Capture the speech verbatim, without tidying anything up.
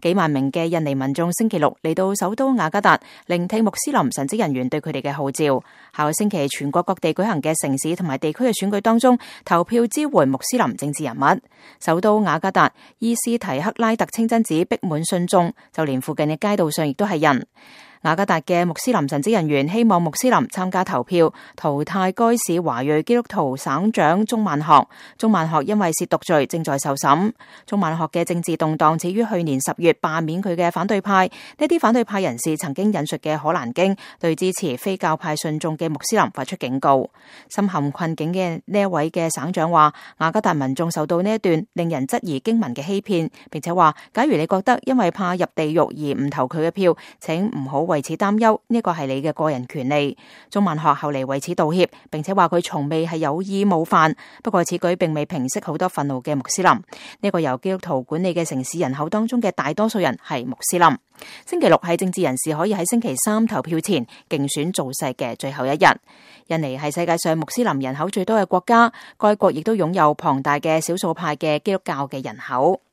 幾萬名嘅印尼民眾星期六嚟到首都雅加達，聆聽穆斯林神職人員對佢哋嘅號召。下個星期全國各地舉行嘅城市同埋地區嘅選舉當中，投票支援穆斯林政治人物。首都雅加達伊斯提克拉特清真寺逼滿信眾，就連附近嘅街道上亦都係人。雅加達嘅穆斯林神職人員希望穆斯林參加投票，淘汰該市華裔基督徒省長鍾萬學。鍾萬學因為褻瀆罪正在受審。鍾萬學嘅政治動盪始於去年十月罷免佢嘅反對派。呢啲反對派人士曾經引述嘅可蘭經，對支持非教派信眾嘅穆斯林發出警告。深陷困境嘅呢一位嘅省長話，雅加達民眾受到呢一段令人質疑經文嘅欺騙，並且話，假如你覺得因為怕入地獄而唔投佢嘅票，請唔好為此擔憂，呢個係你嘅個人權利。鍾萬學後嚟為此道歉，並且話佢從未係有意冒犯。不過此舉並未平息好多憤怒嘅穆斯林。呢個由基督徒管理嘅城市人口當中嘅大多數人係穆斯林。星期六係政治人士可以喺星期三投票前競選造勢嘅最後一日。印尼係世界上穆斯林人口最多嘅國家，該國亦都擁有龐大嘅少數派嘅基督教嘅人口。